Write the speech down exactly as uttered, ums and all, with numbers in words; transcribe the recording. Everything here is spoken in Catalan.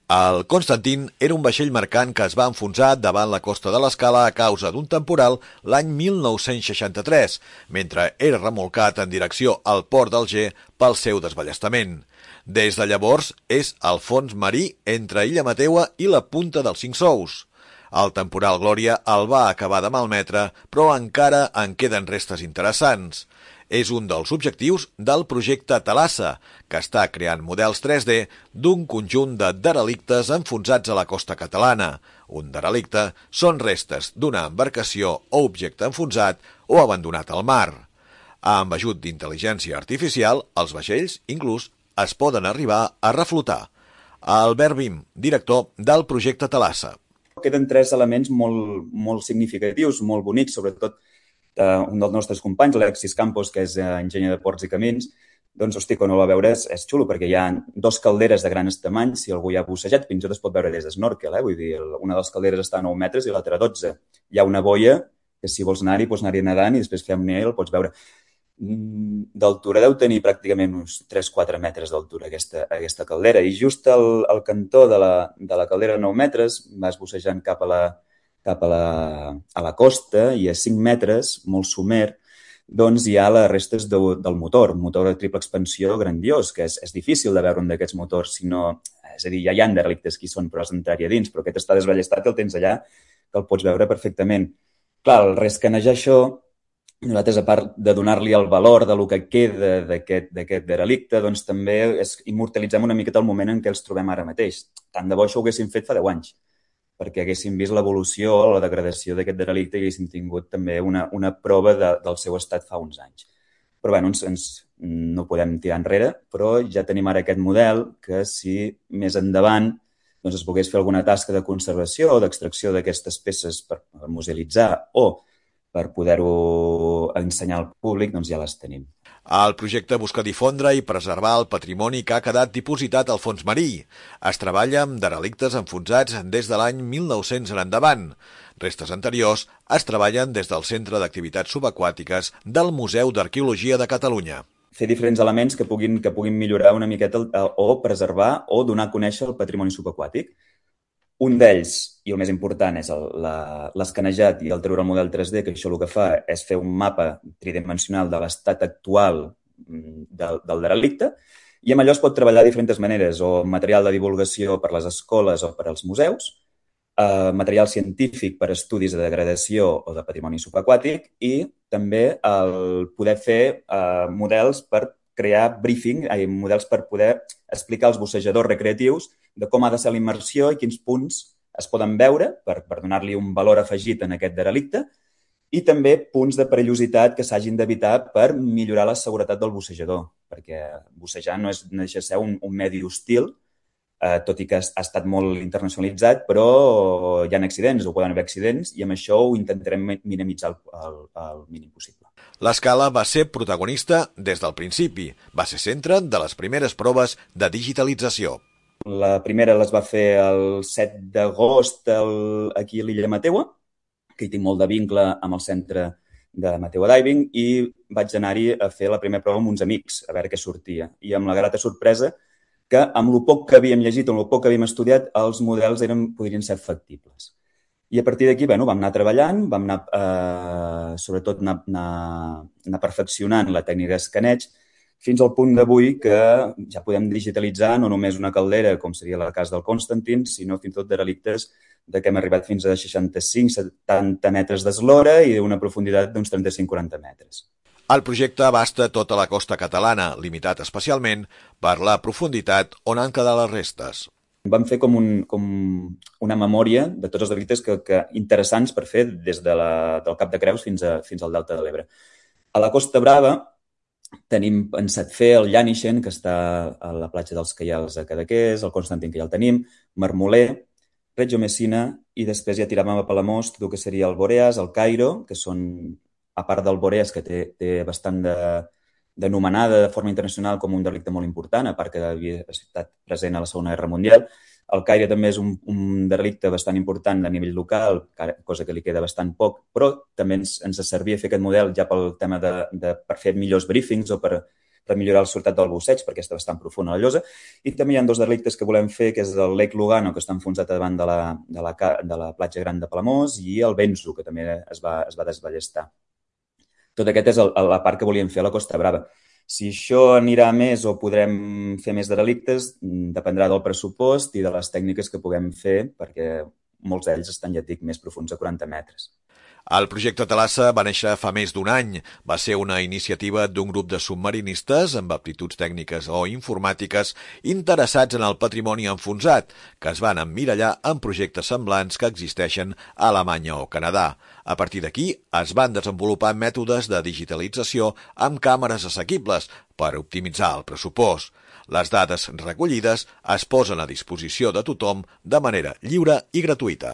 El Constantin era un vaixell mercant que es va enfonsar davant la costa de l'Escala a causa d'un temporal l'any mil nou-cents seixanta-tres, mentre era remolcat en direcció al port d'Alger pel seu desballestament. Des de llavors és al fons marí entre Illa Mateua i la Punta dels Cinc Sous. El temporal Glòria el va acabar de malmetre, però encara en queden restes interessants. És un dels objectius del projecte Thalassa, que està creant models tres D d'un conjunt de derelictes enfonsats a la costa catalana. Un derelicte són restes d'una embarcació o objecte enfonsat o abandonat al mar. Amb ajut d'intel·ligència artificial, els vaixells, inclús, es poden arribar a reflotar. Albert Bim, director del projecte Thalassa. Queden tres elements molt, molt significatius, molt bonics, sobretot Uh, un dels nostres companys, l'Alexis Campos, que és uh, enginyer de ports i camins, doncs, hosti, quan ho va veure és, és xulo, perquè hi ha dos calderes de grans tamanys, si algú hi ha bussejat, fins i tot es pot veure des d'esnorkel, eh? Vull dir, una de les calderes està a nou metres i l'altra a dotze. Hi ha una boia que si vols anar-hi, pots anar-hi nedant i després fer apnea i el pots veure. Mm, d'altura deu tenir pràcticament uns tres a quatre metres d'altura aquesta, aquesta caldera, i just al, al cantó de la, de la caldera de nou metres vas bussejant cap a la cap a la, a la costa i a cinc metres, molt somer, doncs hi ha les restes de, del motor, un motor de triple expansió grandiós, que és, és difícil de veure un d'aquests motors, si no, és a dir, ja hi ha derelictes que hi són, però has d'entrar-hi a dins, però aquest està desballestat i el tens allà, que el pots veure perfectament. Clar, el rescanejar això, nosaltres, a part de donar-li el valor de lo que queda d'aquest derelicte, doncs també és, immortalitzem una miqueta el moment en què els trobem ara mateix. Tant de bo això ho haguéssim fet fa deu anys, perquè haguéssim vist l'evolució o la degradació d'aquest derelicte i haguéssim tingut també una, una prova de, del seu estat fa uns anys. Però bé, ens, ens, no podem tirar enrere, però ja tenim ara aquest model que si més endavant doncs, es pogués fer alguna tasca de conservació o d'extracció d'aquestes peces per, per musealitzar o per poder-ho ensenyar al públic, doncs ja les tenim. El projecte busca difondre i preservar el patrimoni que ha quedat dipositat al fons marí. Es treballa amb derelictes enfonsats des de l'any mil nou-cents en endavant. Restes anteriors es treballen des del Centre d'Activitats Subaquàtiques del Museu d'Arqueologia de Catalunya. Fer diferents elements que puguin, que puguin millorar una miqueta el, o preservar o donar a conèixer el patrimoni subaquàtic. Un d'ells, i el més important, és l'escanejat i el treure el model tres D, que això el que fa és fer un mapa tridimensional de l'estat actual del, del derelicte, i amb allò es pot treballar de diferents maneres, o material de divulgació per les escoles o per als museus, eh, material científic per estudis de degradació o de patrimoni subaquàtic, i també el poder fer eh, models per crear briefing, eh, models per poder explicar als bussejadors recreatius de com ha de ser la immersió i quins punts es poden veure per, per donar-li un valor afegit en aquest derelicte, i també punts de perillositat que s'hagin d'evitar per millorar la seguretat del bussejador, perquè bussejar no, és, no deixa de ser un, un medi hostil, eh, tot i que ha estat molt internacionalitzat, però hi ha accidents o poden haver accidents, i amb això ho intentarem minimitzar el, el, el mínim possible. L'Escala va ser protagonista des del principi. Va ser centre de les primeres proves de digitalització. La primera les va fer el set d'agost aquí a l'Illa Mateua, que hi tinc molt de vincle amb el centre de Mateua Diving, i vaig anar-hi a fer la primera prova amb uns amics, a veure què sortia. I amb la grata sorpresa que amb el poc que havíem llegit, amb el poc que havíem estudiat, els models eren, podrien ser factibles. I a partir d'aquí, bueno, vam anar treballant, vam anar, eh, sobretot, anar, anar, anar perfeccionant la tècnica d'escaneig, fins al punt d'avui que ja podem digitalitzar no només una caldera, com seria el cas del Constantin, sinó fins i tot derelictes de que hem arribat fins a seixanta-cinc a setanta metres d'eslora i d'una profunditat d'uns trenta-cinc a quaranta metres. El projecte abasta tota la costa catalana, limitat especialment per la profunditat on han quedat les restes. Vam fer com, un, com una memòria de tots els delictes que, que interessants per fer des de la, del Cap de Creus fins, a, fins al Delta de l'Ebre. A la Costa Brava tenim pensat fer el Llànixen, que està a la platja dels Caials a Cadaqués, el Constantin, que ja el tenim, Marmoler, Reggio Messina, i després ja tiràvem a Palamós tot el que seria el Boreas, el Cairo, que són, a part del Boreas, que té, té bastant de, d'anomenada de forma internacional com un delicte molt important, a part que havia estat present a la Segona Guerra Mundial. El Caire també és un, un delicte bastant important a nivell local, cosa que li queda bastant poc, però també ens, ens servia fer aquest model ja pel tema de, de per fer millors briefings o per, per millorar el resultat del busseig, perquè està bastant profunda la llosa. I també hi ha dos delictes que volem fer, que és el Lake Lugano, que està enfonsat davant de la, de la, de la platja gran de Palamós, i el Benzo, que també es va, es va desballestar. Tot aquest és el, la part que volíem fer a la Costa Brava. Si això anirà més o podrem fer més de delictes, dependrà del pressupost i de les tècniques que puguem fer, perquè molts d'ells estan, ja et dic, més profuns de quaranta metres. El projecte Thalassa va néixer fa més d'un any. Va ser una iniciativa d'un grup de submarinistes amb aptituds tècniques o informàtiques interessats en el patrimoni enfonsat, que es van emmirallar en projectes semblants que existeixen a Alemanya o Canadà. A partir d'aquí es van desenvolupar mètodes de digitalització amb càmeres assequibles per optimitzar el pressupost. Les dades recollides es posen a disposició de tothom de manera lliure i gratuïta.